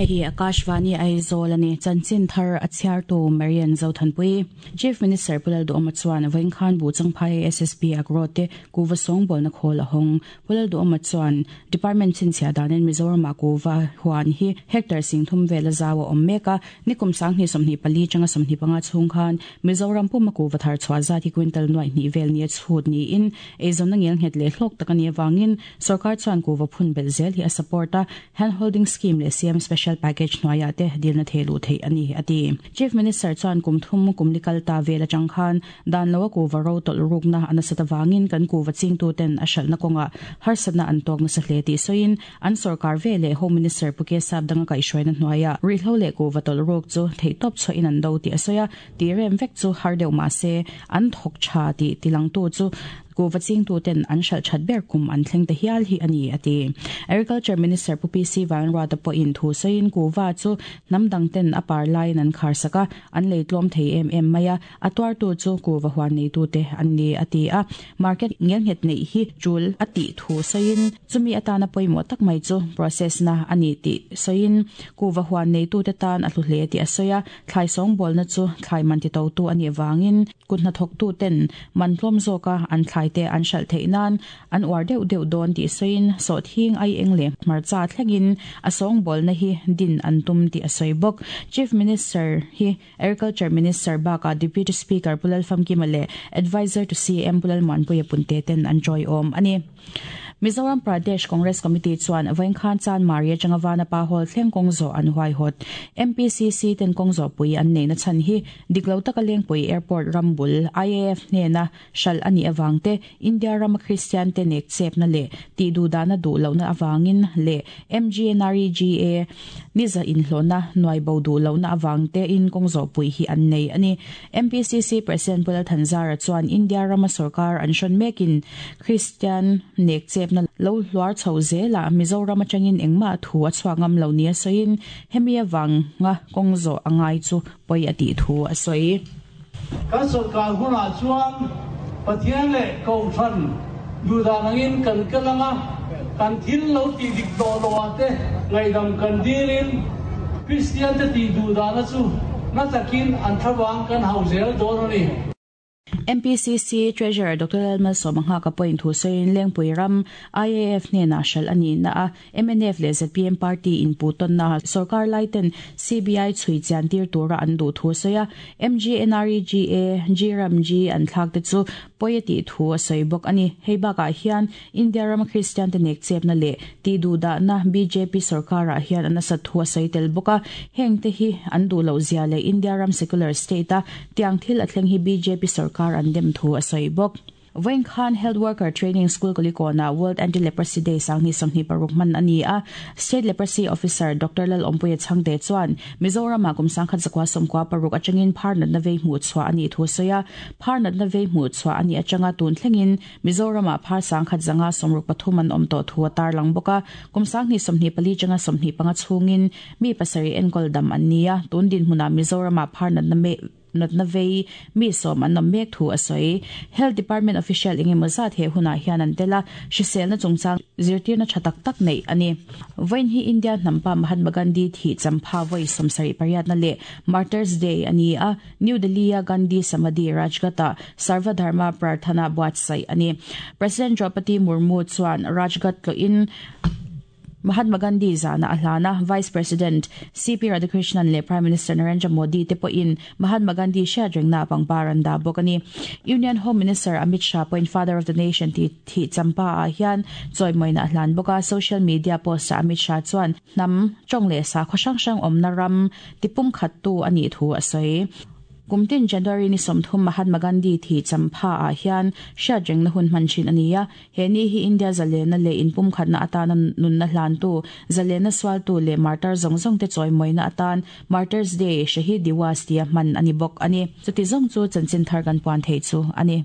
Hei hi Akashvani Aizawl a ni. Chanchin thar a chhiartu Marian Zothanpui. Chief Minister Pu Lalduhawma chuan vawiinkhan Buh Changphai SSP Agro te kuhva sawngbawlna khawl a hawng. Pu Lalduhawma chuan Department chhinchhiah danin Mizoramah kuhva huan hi hectare singthum vela zau a awm mek a. Nikum 2024 tanga 25 chhung khan Mizoram puma kuhva thar chhuah zat hi quintal nuaih hnih vel nia chhut niin eizawnna ngelnghet leh hlawk tak a nih avangin Sorkar chuan kuhva phun belh zel hi a support a, Hand Holding Scheme leh CM Special Package hnuaiah te dilna theh luh theih a ni, a ti. Chief Minister chuan kum thum kum li kal ta vel atang khan dan loa kuhva ro tawlh rukna a nasat avangin kan kuhva chingtuten a hralhna kawngah harsatna an tawk nasa hle tih sawiin an sorkar ve leh Home Minister Pu Kesap danga kaihhruaina hnuaiah ruihhlo leh kuhva tawlh ruk chu theihtawp chhuahin an do tih a sawi a, Tih rem vek chu har deuh mah se, an thawk tha tih tilangtu chu kuhva chingtuten an hralh that ber kum an thleng ta hial hi a ni, a ti. Agriculture Minister Pu PC Vanruata pawhin thu sawiin kuhva chu hnam dangten a par laiin an khar sak a, an lei tlawm thei em em mai a, a tuartu chu kuhva huan neitute an ni, a ti a. Market ngelnghet neih hi tul a tih thu sawiin chumi atana pawimawh tak mai chu process na a ni tih sawiin kuhva huan neitute tan a hlu hle tih a sawi a. Thlai sawngbawlna chu thlai man titotu a nih vangin kut hnathawktuten man tlawm zawka an thlaite an hralh theih nan an uar deuh deuh dawn tih sawiin sawhthing ai eng leh hmarcha thlengin a sawngbawlna hi din an tum tih a sawi bawk. Chief Minister hi Agriculture Minister bakah Deputy Speaker Pu Lalfamkima leh Adviser to CM Pu Lalmuanpuia Punte ten an tawiawm a ni. Mizoram Pradesh Congress Committee chuan Vawinkhan Chanmari atanga Vanapa Hall thleng kawng zawh an huaihawt. MPCC ten kawng zawhpui an neihna chhan hi dik lo taka Lengpui Airport ram bul IAF hnena hralh a nih avang te, India rama Kristian te nek chepna leh tihduhdahna duh lohna avangin leh MGNREGA niza inhlawhna nuaibo duh lohna avang tein kawng zawhpui hi an nei a ni. MPCC President Pu Lalthanzara chuan India rama sorkar an hrawn mekin Kristian nek chepna lo hluar chho zelah Mizoram atangin engmah thu a chhuak ngam lo nia sawiin hemi avanga kawng zawh a ngai chu pawi a tih thu a sawi. Kan sorkar hunah chuan Pathian leh Kohhran duhdan angin kan kal ang a, kan thil lo tih dik tawh loh ah te ngaihdam kan dilin Kristian te tih duhdana chu na takin an thlavang kan hauh zel dawn a ni. MPCC Treasurer Doctor Lalmalsawma Nghaka pawhin thu sawiin Lengpui ram IAF hnenah hralh a nihna a, mnf leh zpm party inpuhtawnna sorkar laiten CBI chhui chian tir tura an duh thu a sawi a, MGNREGA, GRAMG an thlak te chu pawi a tih thu a sawi bawk a ni. Hei bakah hian India rama Kristiante nek chepna leh tihduhdahna bjp sorkarah hian a nasat thu a sawi tel bawk a, heng te hi an duh loh zia leh India ram secular state a tiang thil a thleng hi bjp sorkar an dem thu a sawi bawk. Vawiin khan Health Worker Training School Kulikawnah World Anti-Leprosy Day 2026 hman a ni a, State Leprosy Officer Doctor Lalawmpuia Chhangte chuan Mizoramah kum 1996 atangin phar natna vei hmuh chhuah a nih thu a sawi a, phar natna vei hmuh chhuah a nih atanga tun thlengin Mizoramah phar 1163 an awm tawh thu a tarlang bawk a, kum 2024 atanga 25 chhungin mi pasarih enkawl dam an ni a, tun dinhmunah Mizoramah phar natna natna vei mi sawm an awm mek thu a sawi. Health Department official eng emaw zat he hunah hian an tel a, hriselna chungchang zirtirna tha tak tak neih a ni. Vawiin hi India hnampa Mahatma Gandhi thih champha vawi 78 na leh Martyrs Day a ni a, New Delhi-a Gandhi Samadhi Rajghat-ah Sarva Dharma Prarthana buatsaih a ni. President Draupadi Murmu chuan Rajghat tlawhin Mahatma Gandhi zahna a hlan a, Vice President CP Radhakrishnan leh Prime Minister Narendra Modi te pawhin Mahatma Gandhi hriatrengna pangpar an dah bawk a ni. Union Home Minister Amit Shah pawhin Father of the Nation tih thih champa-ah hian chawimawina a hlan bawk a, social media post-ah Amit Shah chuan hnam, tawng leh sakhaw hrang hrang awmna ram tipumkhattu a nih thu a sawi. Kum tin January ni 30 Mahatma Gandhi thih champha ah hian hriatrengna hun hman thin a ni a, he ni hi India zalena leh inpumkhatna atana nunna hlantu, zalena sualtu leh martar zawng zawng te chawimawina atan Martyrs Day, Shaheed Diwas tia hman a ni bawk a ni. Chuti zawng chu chanchin thar kan puan theih chu a ni.